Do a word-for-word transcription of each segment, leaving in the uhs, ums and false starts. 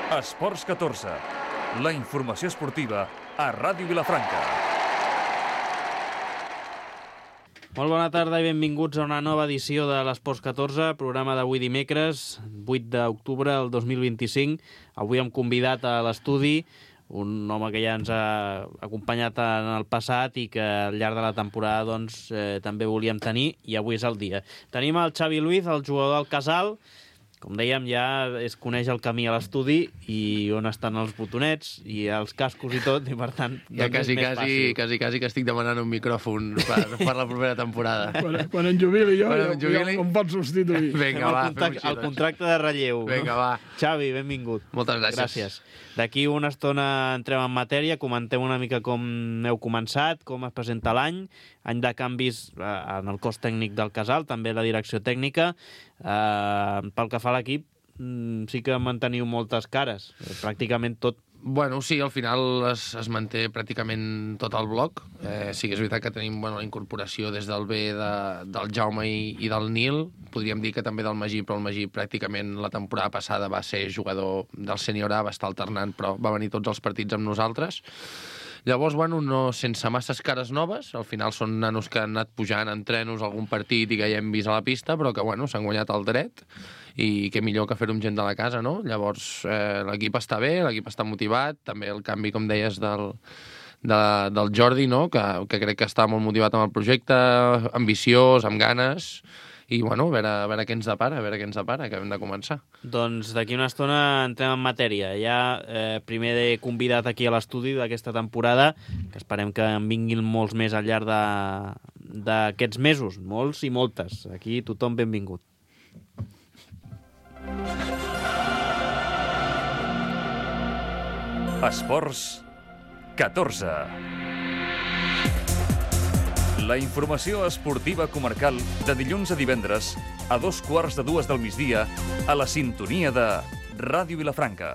Esports catorze, la informació esportiva a Ràdio Vilafranca. Molt bona tarda i benvinguts a una nova edició de l'Esports catorze, programa d'avui dimecres, vuit d'octubre del dos mil vint-i-cinc. Avui hem convidat a l'estudi un home que ja ens ha acompanyat en el passat i que al llarg de la temporada doncs, eh, també volíem tenir, i avui és el dia. Tenim el Xavi Luiz, el jugador del Casal. Com dèiem, ja es coneix el camí a l'estudi i on estan els botonets i els cascos i tot, i per tant ja doncs quasi, és més quasi, fàcil. quasi, quasi que estic demanant un micròfon per, per la propera temporada. Quan, quan em jubili jo, Quan ja, em jubili... ja em pots substituir. Vinga, el, va, contracte, fem-ho el així, contracte de relleu. Vinga, no? va. Xavi, benvingut. Moltes gràcies. Gràcies. D'aquí una estona entrem en matèria, comentem una mica com heu començat, com es presenta l'any, any de canvis eh, en el cos tècnic del Casal, també la direcció tècnica. Eh, pel que fa a l'equip, sí que manteniu moltes cares, pràcticament tot. Bueno, sí, al final es, es manté pràcticament tot el bloc. Eh, sí que és veritat que tenim bueno, la incorporació des del B de, del Jaume i, i del Nil. Podríem dir que també del Magí, però el Magí pràcticament la temporada passada va ser jugador del sènior A, va estar alternant, però va venir tots els partits amb nosaltres. Llavors, bueno, no, sense masses cares noves, al final són nanos que han anat pujant en trenos algun partit i que ja hem vist a la pista, però que, bueno, s'han guanyat el dret, i què millor que fer-ho amb gent de la casa, no? Llavors, eh, l'equip està bé, l'equip està motivat, també el canvi, com deies, del, de, del Jordi, no? Que, que crec que està molt motivat amb el projecte, ambiciós, amb ganes, i, bueno, a veure, a veure què ens depara, a veure què ens depara, que hem de començar. Doncs d'aquí una estona entrem en matèria. Ja eh, primer he convidat aquí a l'estudi d'aquesta temporada, que esperem que en vinguin molts més al llarg d'aquests mesos, molts i moltes. Aquí tothom benvingut. Esports catorze. La informació esportiva comarcal de dilluns a divendres a dos quarts de dues del migdia a la sintonia de Ràdio Vilafranca.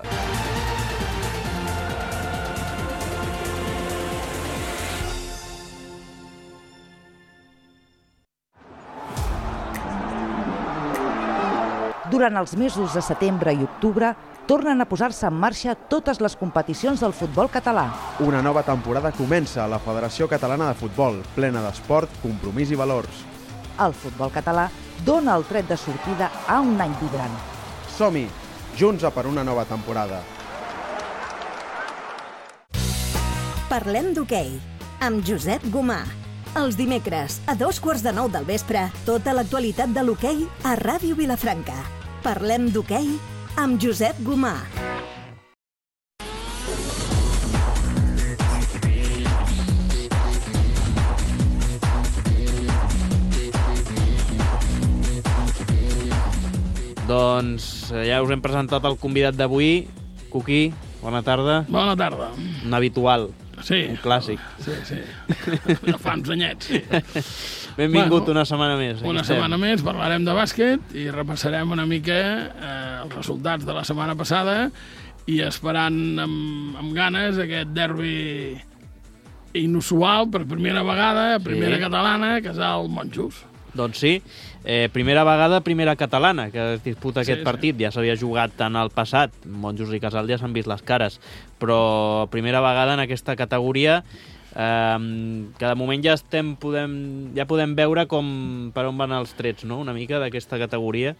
Durant els mesos de setembre i octubre, tornen a posar-se en marxa totes les competicions del futbol català. Una nova temporada comença a la Federació Catalana de Futbol, plena d'esport, compromís i valors. El futbol català dona el tret de sortida a un any vibrant. Som-hi, junts a per una nova temporada. Parlem d'hoquei, amb Josep Gomà. Els dimecres, a dos quarts de nou del vespre, tota l'actualitat de l'hoquei a Ràdio Vilafranca. Parlem d'hoquei amb Josep Gomà. Doncs ja us hem presentat el convidat d'avui. Cuqui, bona tarda. Bona tarda. Un habitual. Sí. Un clàssic. Sí, sí. De fa uns anyets. Benvingut Bueno, una setmana més. Aquí Una estem. setmana més, parlarem de bàsquet i repassarem una mica eh, els resultats de la setmana passada i esperant amb, amb ganes aquest derbi inusual per primera vegada, primera Sí. catalana, Casal Monjos. Doncs sí, eh, primera vegada, primera catalana que es disputa aquest Sí, sí. partit. Ja s'havia jugat en el passat, Monjos i Casal ja s'han vist les cares, però primera vegada en aquesta categoria, eh, que de moment ja estem podem, ja podem veure com per on van els trets, no?, una mica d'aquesta categoria.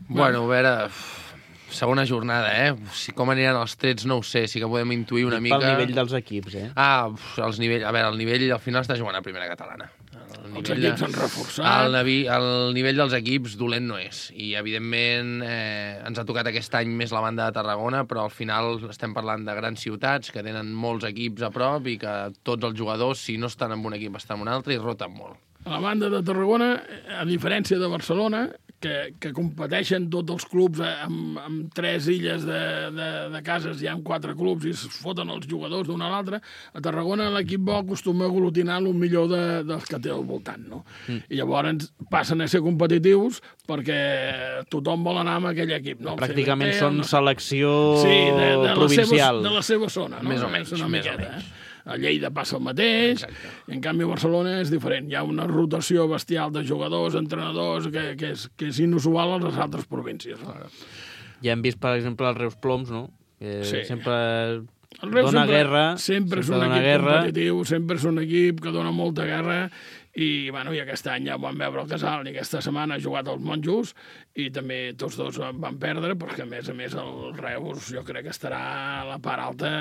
Bueno, a veure, segona jornada, eh? Si com aniran els trets no ho sé, sí que podem intuir una Dic mica... pel nivell dels equips, eh? Ah, els nivell... A veure, el nivell al final està jugant a primera catalana. El Els nivell equips de- s'han reforçat. El, navi, el nivell dels equips dolent no és. I, evidentment, eh, ens ha tocat aquest any més la banda de Tarragona, però al final estem parlant de grans ciutats que tenen molts equips a prop i que tots els jugadors, si no estan en un equip, estan en un altre i roten molt. A la banda de Tarragona, a diferència de Barcelona, que, que competeixen tots els clubs amb, amb tres illes de, de, de cases, hi ha quatre clubs i es foten els jugadors d'un a l'altre, a Tarragona l'equip bo acostuma a aglutinar el millor de, dels que té al voltant, no? Mm. I llavors passen a ser competitius perquè tothom vol anar amb aquell equip, no? Pràcticament C B T, són el... selecció sí, de, de provincial. La seva, de la seva zona, no? Més o menys, una més o miqueta, menys. Eh? A Lleida passa el mateix, Exacte. i en canvi a Barcelona és diferent. Hi ha una rotació bestial de jugadors, entrenadors, que, que, és, que és inusual a les altres províncies. No? Ja hem vist, per exemple, els Reus Ploms, no? Que Sí. sempre El Reus dona sempre, guerra. Sempre és un dona equip guerra. competitiu, sempre és un equip que dona molta guerra i, bueno, i aquest any ja vam veure el Casal i aquesta setmana ha jugat els Monjos i també tots dos van perdre perquè, a més a més, el Reus jo crec que estarà a la part alta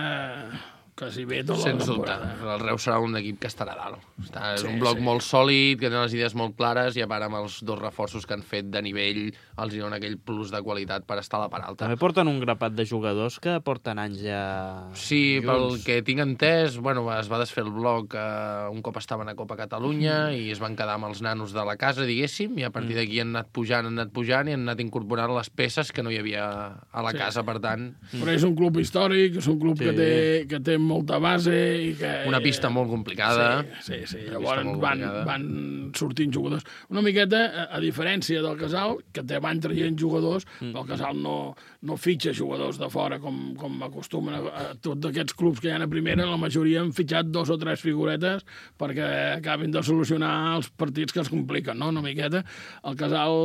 quasi bé tota la Sens dubte. temporada. El Reus serà un equip que estarà a dalt. Està, és Sí, un bloc sí. molt sòlid, que té les idees molt clares i a part amb els dos reforços que han fet de nivell els hi dona aquell plus de qualitat per estar a la part alta. També porten un grapat de jugadors que porten anys ja Sí, pel junts. que tinc entès, bueno, es va desfer el bloc eh, un cop estaven a Copa Catalunya i es van quedar amb els nanos de la casa, diguéssim, i a partir d'aquí han anat pujant, han anat pujant i han anat incorporant les peces que no hi havia a la Sí. casa, per tant, Però és un club històric, és un club Sí. que, té, que té molta base i que... una pista molt complicada. Sí, sí, sí. Una Llavors pista molt van, complicada. van sortint jugadors. Una miqueta, a, a diferència del Casal, que te van traient jugadors, mm. el Casal no, no fitxa jugadors de fora com, com acostumen a, a tots aquests clubs que hi ha a primera, la majoria han fitxat dos o tres figuretes perquè acabin de solucionar els partits que es compliquen, no? Una miqueta. El Casal,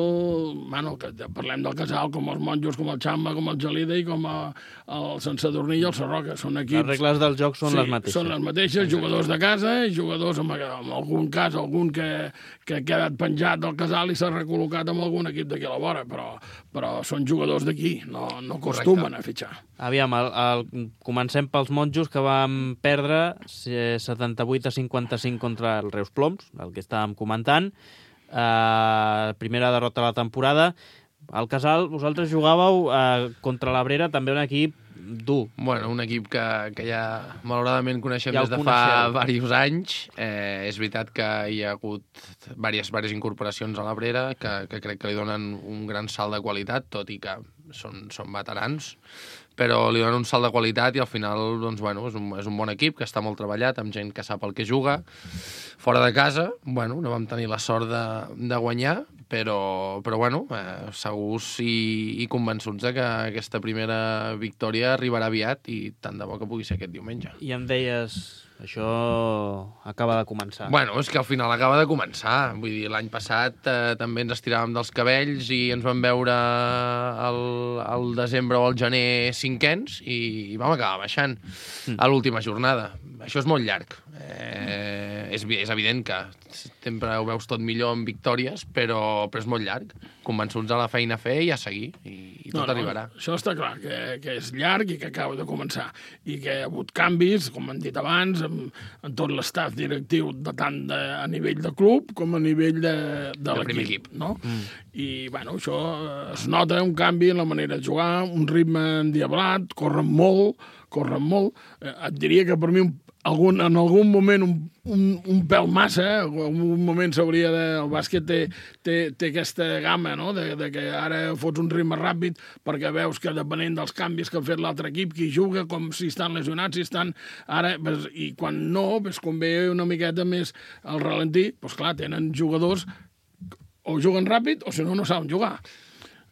bueno, que parlem del Casal com els Monjos, com el Xamba, com el Gelida i com a, el Sant Sadurní i el Sarroca. Són equips... Les regles del joc són sí, les mateixes. Són les mateixes, jugadors de casa i jugadors, en, en algun cas, algun que, que ha quedat penjat del Casal i s'ha recol·locat amb algun equip d'aquí a la vora, però, però són jugadors d'aquí, no, no acostumen a fitxar. Aviam, el, el, comencem pels Monjos, que vam perdre setanta-vuit a cinquanta-cinc contra el Reus Ploms, el que estàvem comentant. Uh, primera derrota de la temporada. Al Casal, vosaltres jugàveu uh, contra l'Abrera, també un equip dur. Bueno, un equip que, que ja malauradament coneixem Ja des el de fa coneixeu. diversos anys. Eh, és veritat que hi ha hagut diverses, diverses incorporacions a l'Abrera que, que crec que li donen un gran salt de qualitat, tot i que són, són veterans, però li donen un salt de qualitat i al final doncs, bueno, és, un, és un bon equip que està molt treballat, amb gent que sap el que juga. Fora de casa, bueno, no vam tenir la sort de, de guanyar, però, però bueno, eh, segurs i, i convençuts de que aquesta primera victòria arribarà aviat i tant de bo que pugui ser aquest diumenge. I em deies, això acaba de començar. Bueno, és que al final acaba de començar. Vull dir, l'any passat eh, també ens estiràvem dels cabells i ens vam veure al, al desembre o al gener cinquens i, i vam acabar baixant mm. a l'última jornada. Això és molt llarg. Eh, és, és evident que sempre ho veus tot millor amb victòries, però, però és molt llarg. Convençuts de la feina a fer i a seguir, i, i tot no, arribarà. No, això està clar, que, que és llarg i que acaba de començar. I que hi ha hagut canvis, com hem dit abans, en, en tot l'estaf directiu, de tant de, a nivell de club com a nivell de, de primer l'equip. equip. No? Mm. I, bueno, això es nota un canvi en la manera de jugar, un ritme endiablat, corren molt, corren molt. Eh, et diria que per mi un Algun, en algun moment un, un, un pèl massa, en un moment s'hauria de... El bàsquet té, té, té aquesta gamma, no?, de, de que ara fots un ritme ràpid perquè veus que depenent dels canvis que ha fet l'altre equip, qui juga, com si estan lesionats, si estan... Ara, i quan no, pues, convé una miqueta més al ralentí, doncs clar, tenen jugadors o juguen ràpid o si no, no saben jugar.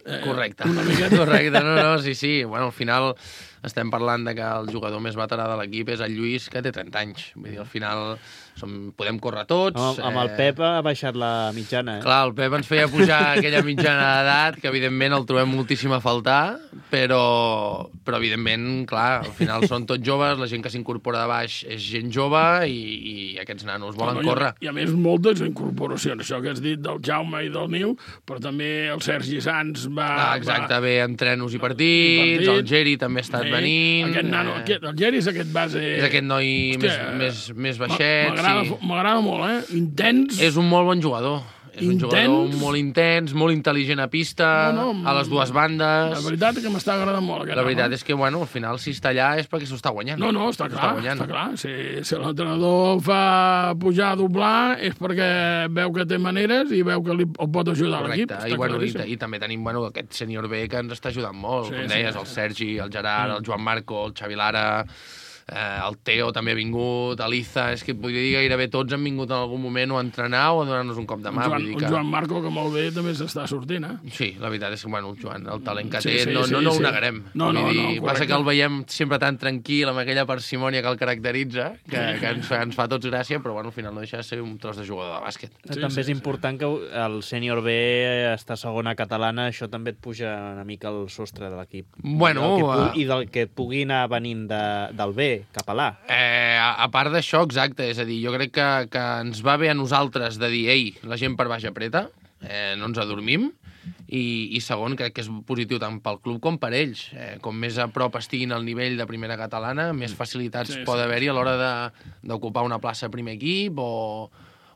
Eh, Correcte. Una miqueta. Correcte, no, no, sí, sí. Bueno, al final estem parlant de que el jugador més veterà de l'equip és el Lluís, que té trenta anys. Vull dir, al final som, podem córrer tots. Amb, amb el Pep ha baixat la mitjana, eh? Clar, el Pep ens feia pujar aquella mitjana d'edat, que evidentment el trobem moltíssim a faltar, però, però evidentment, clar, al final són tots joves, la gent que s'incorpora de baix és gent jove i, i aquests nanos volen no, no, córrer. I a, I a més, moltes incorporacions. Això que has dit del Jaume i del Nil, però també el Sergi Sanz va... Ah, exacte, va... ve entrenos i partits, I partits. el Geri també ha estat Bé, venint... Aquest nano, eh, aquest, el Geri és aquest base... És aquest noi Hòstia, més, més, més baixet. M'agrada Sí. m'agrada molt, eh? Intens. És un molt bon jugador. És un Intens. jugador molt intens, molt intel·ligent a pista, No, no, a les dues bandes. La veritat és que m'està agradant molt aquest La veritat nano. és que, bueno, al final, si està allà és perquè s'ho està guanyant. No, no, està S'ho clar, guanyant. està clar. Si, si l'entrenador el fa pujar a doblar és perquè veu que té maneres i veu que li, el pot ajudar a l'equip. Correcte, I, bueno, i, i també tenim bueno, aquest sènior B que ens està ajudant molt, Sí, com sí, deies, sí. el Sergi, el Gerard, el Joan Marco, el Xavi Lara... Eh, el Teo també ha vingut, l'Iza, és que et podria dir gairebé tots han vingut en algun moment o a entrenar o a donar-nos un cop de mà. El Joan, vull dir que... el Joan Marco, que molt bé, també s'està sortint, eh? Sí, la veritat és que, bueno, Joan, el talent que Sí, té sí, no, sí, no, no sí. ho negarem. No, no, Vull dir, no, correcte. passa que el veiem sempre tan tranquil, amb aquella parsimònia que el caracteritza, que, que ens, fa, ens fa tots gràcia, però bueno, al final no deixa de ser un tros de jugador de bàsquet. Sí, també sí, és important sí. que el sènior B està segona catalana, això també et puja una mica el sostre de l'equip. Bueno, I, uh... I del que et pugui anar venint de, del B cap a l'A. Eh, a, a part d'això, exacte, és a dir, jo crec que, que ens va bé a nosaltres de dir, ei, la gent per baix apreta, eh, no ens adormim, i, i segon, crec que és positiu tant pel club com per ells. Eh, com més a prop estiguin al nivell de primera catalana, més facilitats sí, pot sí. haver-hi a l'hora d'ocupar una plaça a primer equip o,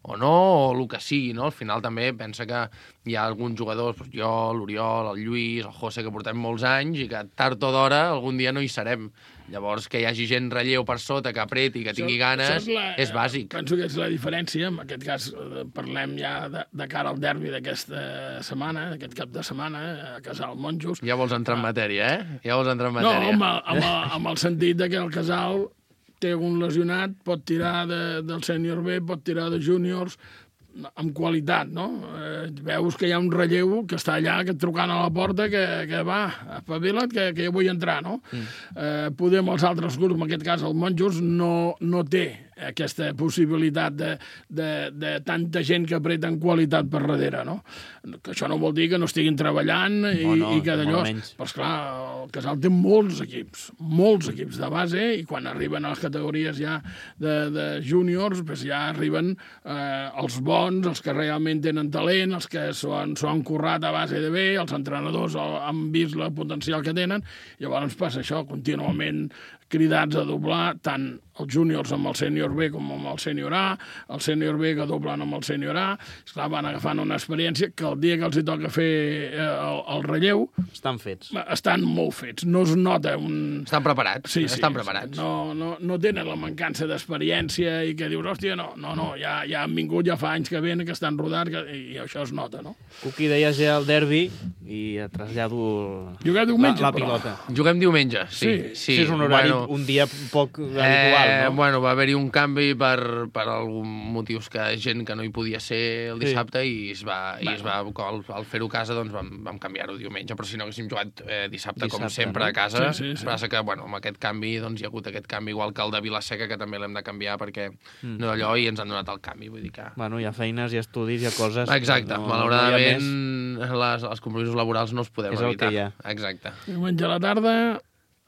o no, o el que sigui, no? Al final també pensa que hi ha alguns jugadors, doncs jo, l'Oriol, el Lluís, el José, que portem molts anys i que tard o d'hora algun dia no hi serem. Llavors, que hi hagi gent relleu per sota, que apreti, que tingui ganes, és, la, és bàsic. Penso que és la diferència. En aquest cas, parlem ja de, de cara al derbi d'aquesta setmana, d'aquest cap de setmana, a Casal Monjos. Ja vols entrar en matèria, eh? Ja vols entrar en No, matèria. amb el, amb, el, amb el sentit de que el Casal té un lesionat, pot tirar de, del sènior B, pot tirar de júniors, amb qualitat, no? Eh, veus que hi ha un relleu que està allà, que et trucant a la porta, que, que va, espavila't, que, que jo vull entrar, no? Mm. Eh, podem els altres grups, en aquest cas el Monjos, no, no té aquesta possibilitat de, de, de tanta gent que apreta en qualitat per darrere, no? Que això no vol dir que no estiguin treballant i, no, no, i que d'allò... Però, esclar, el Casal té molts equips, molts equips de base, i quan arriben a les categories ja de, de júniors, doncs ja arriben eh, els bons, els que realment tenen talent, els que s'ho han, han currat a base de bé, els entrenadors han vist el potencial que tenen, i llavors passa això, contínuament cridats a doblar tant els júniors amb el sènior B com amb el sènior A, el sènior B que doblen amb el sènior A, esclar, van agafant una experiència que el dia que els hi toca fer el, el relleu... Estan fets. Estan molt fets, no es nota un... Estan preparats, sí, sí, estan preparats. No, no, no tenen la mancança d'experiència i que dius, hòstia, no, no, no, ja, ja han vingut, ja fa anys que venen, que estan rodats, que, i això es nota, no? Cuqui, deies ja el derbi i et trasllado Juguem diumenge, la, la però. pilota. Juguem diumenge, sí. Sí, sí, sí és un horari, bueno, un dia poc habitual, eh, no? Bueno, va haver-hi un canvi per, per alguns motius que gent que no hi podia ser el dissabte sí. i es va, i es va al, al fer-ho a casa doncs vam, vam canviar-ho diumenge, però si no haguéssim jugat eh, dissabte, dissabte, com sempre, no? A casa. Sí, sí, sí. Passa que, bueno, amb aquest canvi doncs hi ha hagut aquest canvi, igual que el de Vilaseca, que també l'hem de canviar perquè mm. no d'allò i ens han donat el canvi, vull dir que... Bueno, hi ha feines, hi ha estudis, hi ha coses... Exacte, no, malauradament no les, els compromisos laborals no els podem és evitar. És el que hi ha. Exacte. Diumenge a la tarda...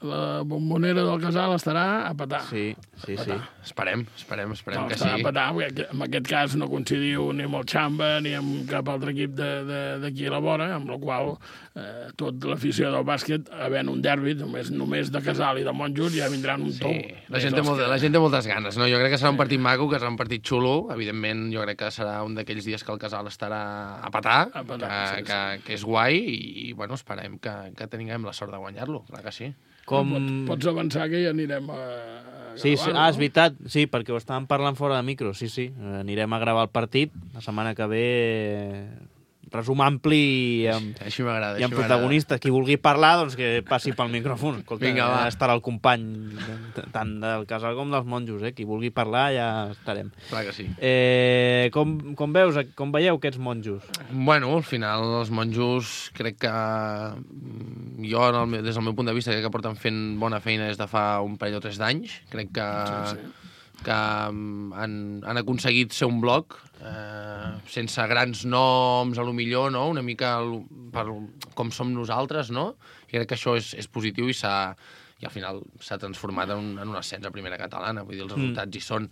La bombonera del Casal estarà a petar. Sí, sí, a sí. Esperem, esperem, esperem no, que estarà sí. A petar, perquè en aquest cas no coincidiu ni amb el Xamba ni amb cap altre equip d'aquí a la vora, amb la qual eh, tot l'afició del bàsquet, havent un derbi, només, només de Casal i de Monjos, ja vindran un sí. tou. La gent, té molt, que... la gent té moltes ganes, no? Jo crec que serà un partit maco, que serà un partit xulo. Evidentment, jo crec que serà un d'aquells dies que el Casal estarà a petar, a petar que, sí, que, sí. que és guai, i, i bueno, esperem que, que tinguem la sort de guanyar-lo, clar que sí. Com... Pots, pots avançar que ja anirem a... a sí, sí. gravar, Ah, no? és veritat, sí, perquè ho estàvem parlant fora de micro, sí, sí. Anirem a gravar el partit la setmana que ve, resum ampli i amb, així m'agrada. i amb protagonistes. Qui vulgui parlar, doncs que passi pel micròfon. Escolta, Vinga, va. Ja estarà el company, tant del Casal com dels Monjos, eh? Qui vulgui parlar ja estarem. Clar que sí. Eh, com, com veus, com veieu aquests Monjos? Bueno, al final els Monjos crec que jo, en el, des del meu punt de vista, crec que porten fent bona feina des de fa un parell o tres d'anys. Crec que, sí, sí. que han, han aconseguit ser un bloc eh, sense grans noms, a lo millor, no? Una mica per com som nosaltres, no? I crec que això és, és positiu i s'ha i al final s'ha transformat en un, en un ascens a primera catalana, vull dir, els resultats mm. hi són,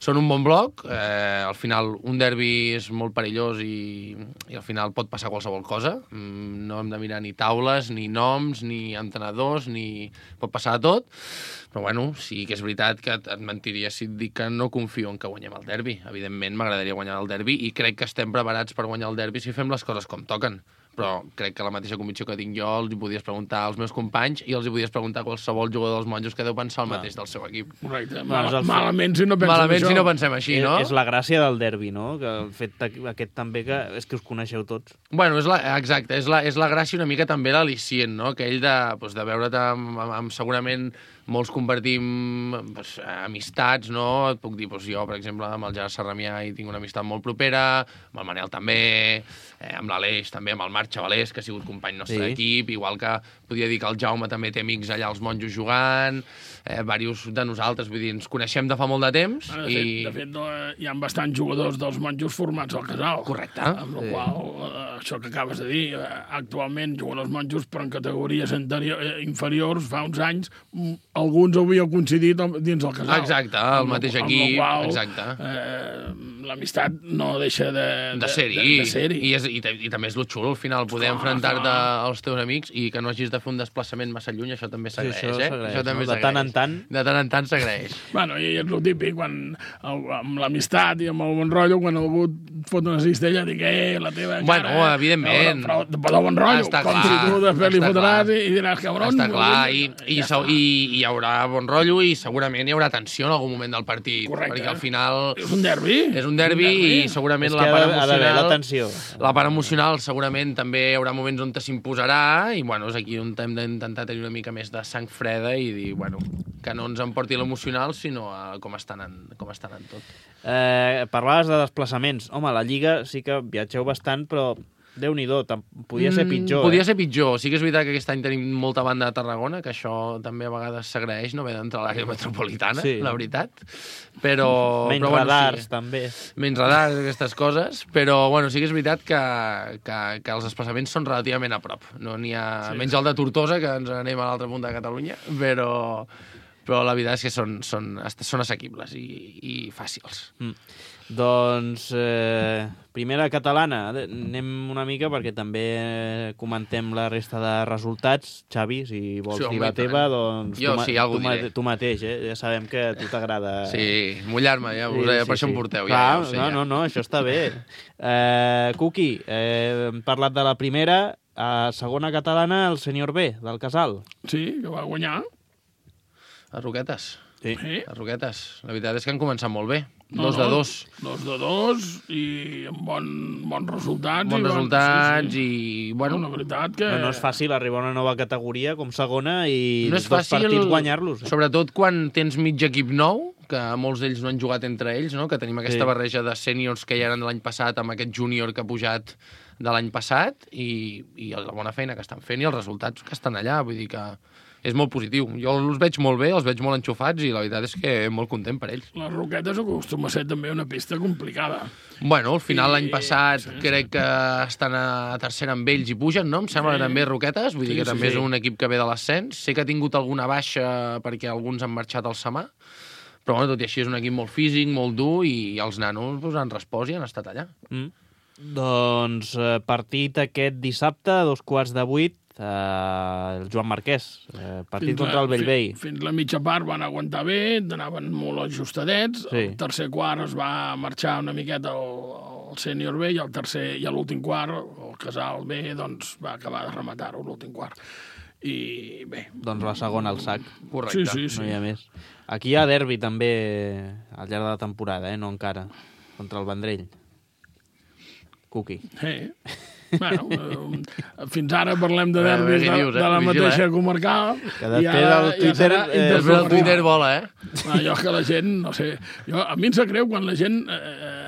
són un bon bloc, eh, al final un derbi és molt perillós i, i al final pot passar qualsevol cosa, mm, no hem de mirar ni taules, ni noms, ni entrenadors, ni... pot passar de tot, però bueno, sí que és veritat que et, et mentiria si et dic que no confio en que guanyem el derbi, evidentment m'agradaria guanyar el derbi i crec que estem preparats per guanyar el derbi si fem les coses com toquen. Però crec que la mateixa convicció que tinc jo els hi podies preguntar als meus companys i els hi podies preguntar a qualsevol jugador dels Monjos que deu pensar el mateix del seu equip. Correcte. Mal, malament si no pensem malament això. si no pensem així, no? És, és la gràcia del derbi, no? Que el fet aquest també que és que us coneixeu tots. Bueno, és la, exacte, és la, és la gràcia una mica també l'al·licient, no? Aquell de, doncs, de veure't amb, amb, amb segurament molts compartim pues, amistats, no? Et puc dir, doncs, jo, per exemple, amb el Gerard Sarramià hi tinc una amistat molt propera, amb el Manel també, eh, amb l'Aleix també, amb el Marc Xavalés, que ha sigut company nostre Sí. d'equip, igual que podria dir que el Jaume també té amics allà als Monjos jugant, eh, diversos de nosaltres, vull dir, ens coneixem de fa molt de temps. De fet, i... de fet no, hi ha bastants jugadors dels Monjos formats al Casal. Correcte. Amb la qual eh, això que acabes de dir, eh, actualment juguen els Monjos, però en categories anterior, eh, inferiors, fa uns anys, m- alguns havíeu coincidit amb- dins el Casal. Exacte, el mateix amb equip, la qual, exacte. Eh, l'amistat no deixa de, De ser-hi. De, de ser-hi. I, és, i, ta- I també és lo xulo, al final, poder Clar, enfrontar-te clar. als teus amics i que no hagis de fer un desplaçament massa lluny, això també s'agraeix, això eh? s'agraeix, Això també no? De tant en s'agraeix. tant. De tant en tant s'agraeix. Bueno, i és el típic, quan, el, amb l'amistat i amb el bon rotllo, quan algú et fot una cistella, dic, eh, la teva cara... Bueno, evidentment. Però, però, però de bon rotllo, Està com clar, si tu després li està fotràs clar. i, i diràs, cabron... Està clar, i, i, i, ja i, està. i hi haurà bon rotllo i segurament hi haurà tensió en algun moment del partit. Correcte. Perquè al final És un derbi. és un derbi i segurament És la que part ha de- ha d'haver emocional... la tensió. La part emocional segurament també hi haurà moments on s'imposarà i bueno, és aquí on hem d'intentar tenir una mica més de sang freda i dir, bueno, que no ens emporti l'emocional, sinó a com està anant, com està anant tot. Eh, parlaves de desplaçaments. Home, a la Lliga sí que viatgeu bastant, però Déu-n'hi-do, tam- podia ser pitjor. Mm, podia eh? ser pitjor. Sí que és veritat que aquest any tenim molta banda de Tarragona, que això també a vegades s'agraeix, no haver d'entrar a l'àrea metropolitana, Sí. la veritat. Però, Menys però, bueno, radars, sí. també. Menys radars, aquestes coses, però bueno, sí que és veritat que, que, que els desplaçaments són relativament a prop. No n'hi ha... Sí. Menys el de Tortosa, que ens anem a l'altra punta de Catalunya, però, però la veritat és que són, són, són assequibles i, i fàcils. Mm. Doncs, eh, primera catalana, anem una mica perquè també comentem la resta de resultats. Xavi, si vols Sí, dir home, la i tant. teva, doncs Jo tu, ma- sí, algú tu, ma- diré. tu mateix, eh? Ja sabem que a tu t'agrada... Sí, mullar-me, ja, us, sí, per això em porteu. Clar, ja, ja ho sé, no, ja. no, no, això està bé. Eh, Cuqui, eh, hem parlat de la primera, a segona catalana, el senyor B, del Casal. Sí, que va guanyar. Les Roquetes. Sí. Sí. Les Roquetes. La veritat és que han començat molt bé. No, Dos no, de dos. Dos de dos i amb bon, bons resultats. Bons i resultats sí, sí. i, bueno, La veritat que... No, no és fàcil arribar a una nova categoria com segona i no és dos fàcil, partits guanyar-los. Eh? sobretot quan tens mig equip nou, que molts d'ells no han jugat entre ells, no? Que tenim aquesta Sí. barreja de sèniors que ja eren de l'any passat amb aquest júnior que ha pujat de l'any passat i, i la bona feina que estan fent i els resultats que estan allà, vull dir que és molt positiu. Jo els veig molt bé, els veig molt enxufats i la veritat és que molt content per ells. Les Roquetes acostuma a ser també una pista complicada. Bueno, al final I- l'any passat sí, crec que estan a tercera amb ells i pugen, no? Em sembla Sí. que també Roquetes, vull dir Sí, que sí, també sí. és un equip que ve de l'ascens. Sé que ha tingut alguna baixa perquè alguns han marxat al Samà, però bueno, tot i així és un equip molt físic, molt dur i els nanos pues, han respost i han estat allà. Mm. Doncs eh, partit aquest dissabte, a dos quarts de vuit, eh, el Joan Marquès, eh, partit Fins contra el Bellvei. Fins, fins la mitja part van aguantar bé, anaven molt ajustadets. Sí. El tercer quart es va marxar una miqueta el, el sènior B i el tercer i a l'últim quart, el Casal B, doncs va acabar de rematar-ho l'últim quart. I bé... Doncs la segona al sac. Correcte. Sí, sí, sí. No hi ha més. Aquí hi ha derbi també al llarg de la temporada, eh? No encara, contra el Vendrell. Cuqui. Sí. Bueno, eh, fins ara parlem de A veure, derbis què de, dius, eh? de la Vigila, mateixa eh? comarcal. Que després i ara el Twitter, serà eh, Després el intercomarcal. Twitter vola, eh? Ah, jo que la gent, no sé... Jo, a mi em sap greu quan la gent... Eh,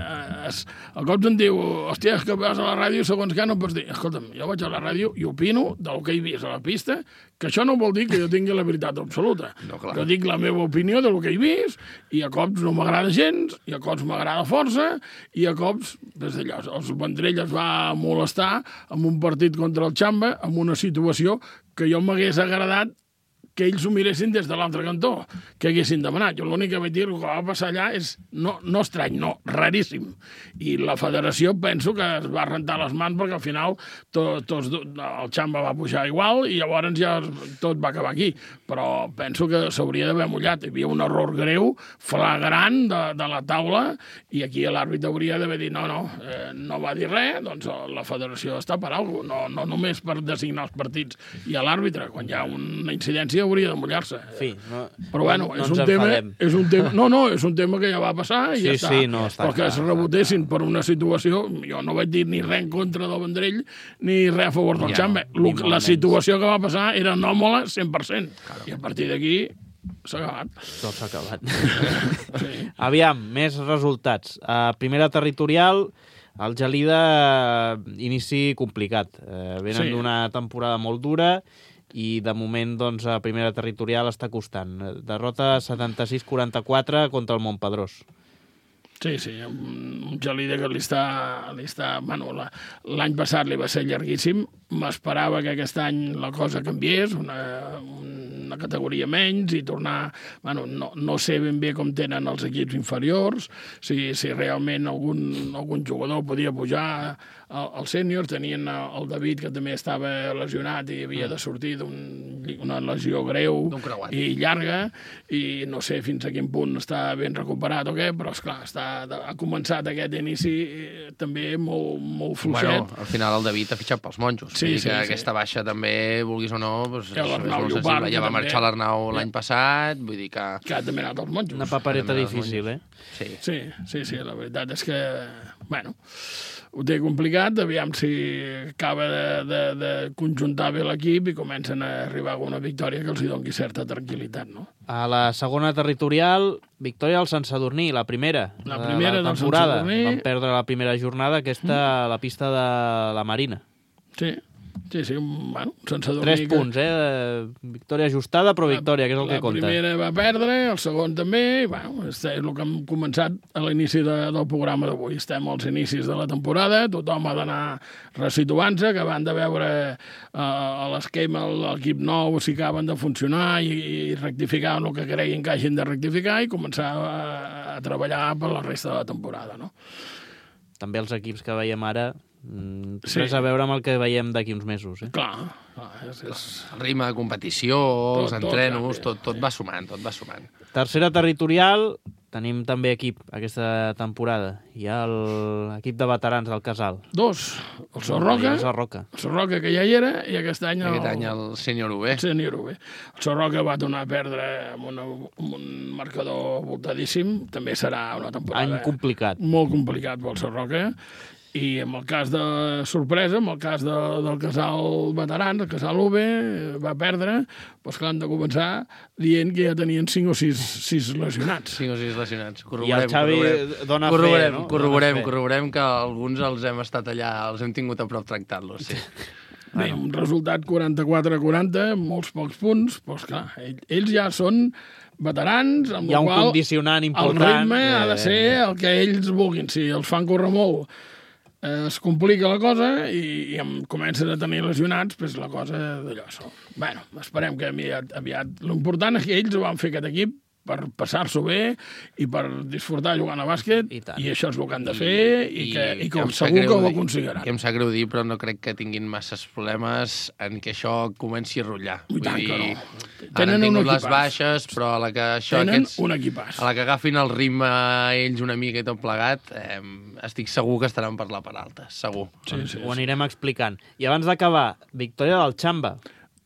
es, a cops em diu, hòstia, és que vas a la ràdio segons què no pots dir. Escolta'm, jo vaig a la ràdio i opino del que he vist a la pista, que això no vol dir que jo tingui la veritat absoluta. No, clar. Jo dic la meva opinió del que he vist i a cops no m'agrada gens, i a cops m'agrada força, i a cops, des d'allò, els Vendrell es va molestar amb un partit contra el Xamba, amb una situació que jo m'hagués agradat que ells ho miressin des de l'altre cantó, que haguessin demanat. Jo l'únic que vaig dir que va passar allà és no, no estrany, no, raríssim. I la federació penso que es va rentar les mans perquè al final tot, tots, el Xamba va pujar igual i llavors ja tot va acabar aquí. Però penso que s'hauria d'haver mullat. Hi havia un error greu, flagrant de, de la taula i aquí l'àrbitre hauria d'haver dit no, no, eh, no va dir res, doncs la federació està per alguna cosa, no, no només per designar els partits i a l'àrbitre, quan hi ha una incidència hauria de mullar-se. En fi, no, Però bueno, no és, ens un tema, enfadem. és un tema... No, no, és un tema que ja va passar i Sí, ja està. sí, no, està Però que clar, es està rebotessin per una situació... Jo no vaig dir ni res en contra del Vendrell ni res a favor del Ja, Xamba. ni Lo- molt La menys. situació que va passar era anòmala cent per cent. I a partir d'aquí... s'ha acabat. Tot s'ha acabat. Sí. Aviam, més resultats. A primera territorial, el Gelida, inici complicat. Eh, venen Sí. d'una temporada molt dura i de moment doncs, a primera territorial està costant. Derrota setanta-sis quaranta-quatre contra el Montpedrós. Sí, sí, un, un Gelida que li està... Li està bueno, la, l'any passat li va ser llarguíssim. M'esperava que aquest any la cosa canviés, una, una categoria menys i tornar... Bueno, no, no sé ben bé com tenen els equips inferiors, si, si realment algun, algun jugador podia pujar als sèniors. Tenien el David, que també estava lesionat i havia de sortir d'una lesió greu i llarga, i no sé fins a quin punt està ben recuperat o què, però esclar, està, ha començat aquest inici també molt, molt fluixet. Bueno, al final el David ha fitxat pels monjos. Sí, sí, sí, que sí. aquesta baixa també, vulguis o no, doncs, Ja és l'Arnau molt Llopart, sensible. Ja va també. marxar l'Arnau l'any passat, vull dir que... Que ha també anat als monjos. Una papereta També els difícil, eh? Sí. Sí, sí, sí, la veritat és que, bueno, ho té complicat, aviam si acaba de, de, de conjuntar bé l'equip i comencen a arribar a alguna victòria que els hi doni certa tranquil·litat, no? A la segona territorial, victòria al Sant Sadurní, la primera. La primera de la del Sant temporada. Sadurní. Van perdre la primera jornada, aquesta a la pista de la Marina. Sí, sí, sí, bueno, sense dormir... Tres punts, eh? Victòria ajustada, però victòria, que és el que compta. La primera va perdre, el segon també, i bueno, és el que hem començat a l'inici de, del programa d'avui. Estem als inicis de la temporada, tothom ha d'anar resituant-se, que van de veure uh, a l'esquema l'equip nou si acaben de funcionar i, i rectificar el que creguin que hagin de rectificar i començar a, a treballar per la resta de la temporada, no? També els equips que veiem ara, mm, Sí. res a veure amb el que veiem d'aquí uns mesos, eh? Clar, clar és, és... El ritme de competició, Tot, els tot entrenos, canvia, tot, tot sí. va sumant, tot va sumant. Tercera territorial, tenim també equip aquesta temporada. Hi ha l'equip de veterans del Casal. Dos, el Sorroca, El Sarroca. el Sorroca que ja hi era, i aquest any Aquest any el sènior U B. el sènior U B. El Sorroca va tornar a perdre amb, una, amb un marcador voltadíssim, també serà una temporada Any complicat. molt complicat pel Sorroca, i en el cas de sorpresa, en el cas de, del Casal Veterans, el Casal U B, va perdre, doncs que han de començar dient que ja tenien cinc o sis, sis lesionats. Cinc o sis lesionats. I el Xavi dona fe, corroborem, no? Corroborem, Dona fe. corroborem que alguns els hem estat allà, els hem tingut a prop tractant-los, sí. Bé, un resultat quaranta-quatre a quaranta, molts pocs punts, doncs clar, ell- ells ja són veterans, amb Hi ha el un qual condicionant el important. ritme ha de eh, ser el que ells vulguin. Si els fan córrer molt, eh, es complica la cosa i, i em comencen a tenir lesionats, doncs la cosa d'allò. So. Bueno, esperem que aviat, aviat... L'important és que ells ho van fer aquest equip per passar-s'ho bé i per disfrutar jugant a bàsquet, I tant. i això és el que han de fer i, que, i que em sap segur greu que ho dir- aconseguiran. I em sap greu dir, però no crec que tinguin masses problemes en que això comenci a rotllar. I tant que no. Ara Tenen han un tingut les equipàs. baixes, però a la que això Tenen aquests... un equipàs. A la que agafin el ritme ells una mica i tot plegat, eh, estic segur que estaran per la part alta, segur. Sí, sí, Ho sí. anirem explicant. I abans d'acabar, victòria del Xamba.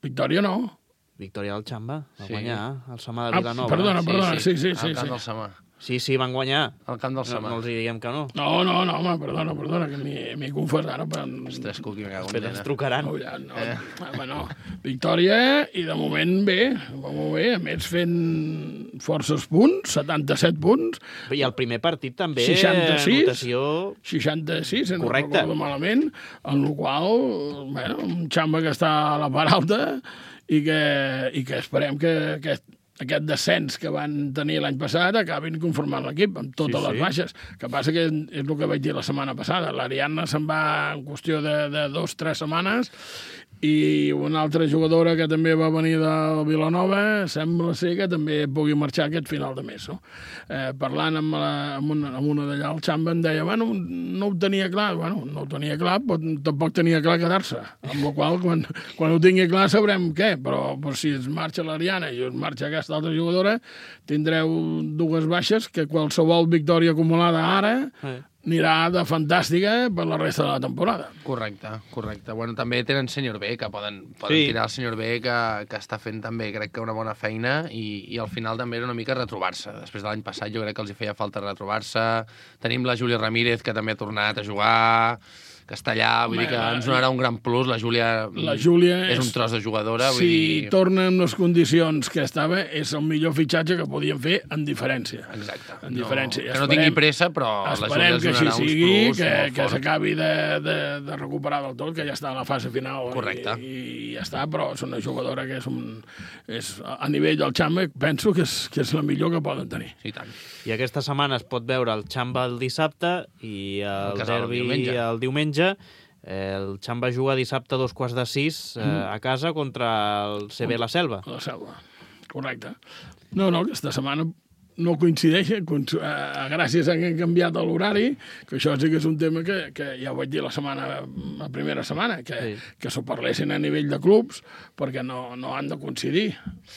Victòria no. Victòria del Xamba. Va Sí. guanyar el Samà de Ah, Vilanova. perdona, perdona, sí, sí, sí. Al camp sí. del Samà. Sí, sí, van guanyar. Al camp del No, Samà. no els hi diguem que no. No, no, no, home, perdona, perdona, que m'hi m'hi he confós ara. Per... Ostres, Cuqui, me cago en Després ens dena. trucaran. No, ja, no, eh. home, no. Victòria, i de moment bé, va molt bé, a més fent forces punts, setanta-set punts, I el primer partit també, seixanta-sis. anotació... seixanta-sis, si no Correcte. recordo malament, en el qual, bueno, un Xamba que està a la part alta i que, i que esperem que aquest, aquest descens que van tenir l'any passat acabin conformant l'equip amb totes Sí, les sí. baixes. Que passa que és el que vaig dir la setmana passada. L'Ariadna se'n va en qüestió de, de dos o tres setmanes i una altra jugadora que també va venir de Vilanova sembla ser que també pugui marxar aquest final de mes. No? Eh, parlant amb, la, amb, una, amb una d'allà al Xamba em deia, bueno, no ho tenia clar, bueno, no ho tenia clar, però tampoc tenia clar quedar-se, amb la qual quan, quan ho tingui clar sabrem què, però, però si es marxa l'Ariana i es marxa aquesta altra jugadora, tindreu dues baixes que qualsevol victòria acumulada ara Eh. anirà de fantàstica per la resta de la temporada. Correcte, correcte. Bueno, també tenen sènior B, que poden, poden Sí. tirar el sènior B, que, que està fent també, crec que una bona feina, i, i al final també era una mica retrobar-se. Després de l'any passat jo crec que els hi feia falta retrobar-se. Tenim la Júlia Ramírez, que també ha tornat a jugar, que està allà, vull dir que ens donarà un gran plus. La Júlia, la Júlia és un tros de jugadora. Vull si dir... torna amb les condicions que estava, és el millor fitxatge que podíem fer en diferència. Exacte. En diferència. No, que no tingui pressa, però la Júlia ens donarà uns sigui, plus que, molt que fort. s'acabi de, de, de recuperar del tot, que ja està a la fase final. Correcte. I, i ja està, però és una jugadora que és, un, és a nivell del Xamba, penso que és, que és la millor que poden tenir. Sí, tant. I aquesta setmana es pot veure el Xamba el dissabte i el, el derbi el diumenge. el diumenge. El Xamba juga dissabte a dos quarts de sis eh, a casa contra el C B La Selva. La Selva, correcte. No, no, aquesta setmana no coincideix, gràcies a que han canviat l'horari, que això sí que és un tema que, que ja ho vaig dir la setmana, la primera setmana, que, sí. que s'ho parlessin a nivell de clubs, perquè no, no han de coincidir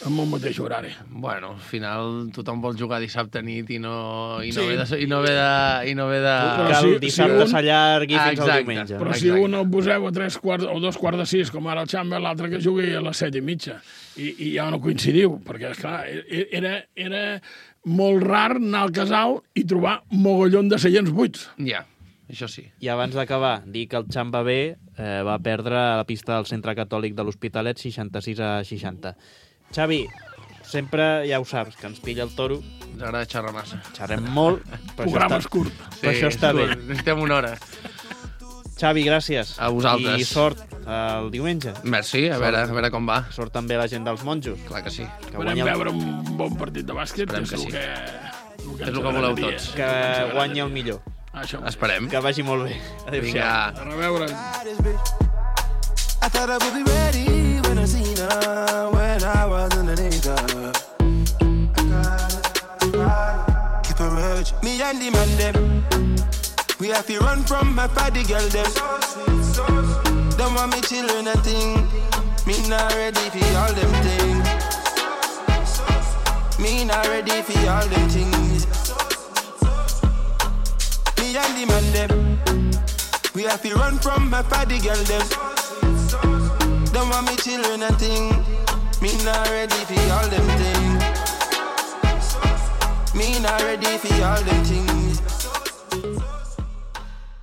amb el mateix horari. Bueno, al final tothom vol jugar dissabte nit i no, i no, sí. ve, de, i no ve de... I no ve de... Que el dissabte si s'allargui fins exacte, al diumenge. Però si un el poseu a tres quarts o dos quarts de sis, com ara el Xamba, l'altre que jugui a les set i mitja, i, i ja no coincidiu, perquè, esclar, era... era molt rar anar al casal i trobar mogollon de seients buits. Ja, això sí. I abans d'acabar, dir que el Xamba B eh, va perdre a la pista del Centre Catòlic de l'Hospitalet seixanta-sis a seixanta. Xavi, sempre ja ho saps, que ens pilla el toro. Ens agrada xerrar massa. Xerrem molt, però Programa això, està, curt. Sí, però això està bé. Necessitem una hora. Xavi, gràcies. A vosaltres. I sort el diumenge. Merci, a veure, a veure com va. Sort també la gent dels monjos. Clar que sí. Que Esperem guanya... veure un bon partit de bàsquet, Esperem que és que el sí. que, el que és el que voleu tots. Que guanyi el millor. Això. Esperem. Que vagi molt bé. Adéu-siau. Vinga. A reveure. I thought I would be ready when I seen her, when I was underneath her. Keep her urge. Me and the man them, we have to run from my party girl them. Don't want me children and thing. Me not ready for all them things. Me not ready for all them things. Me and the man them, we have to run from my party girl them. Don't want me children and thing. Me not ready for all them things. Me not ready for all them things.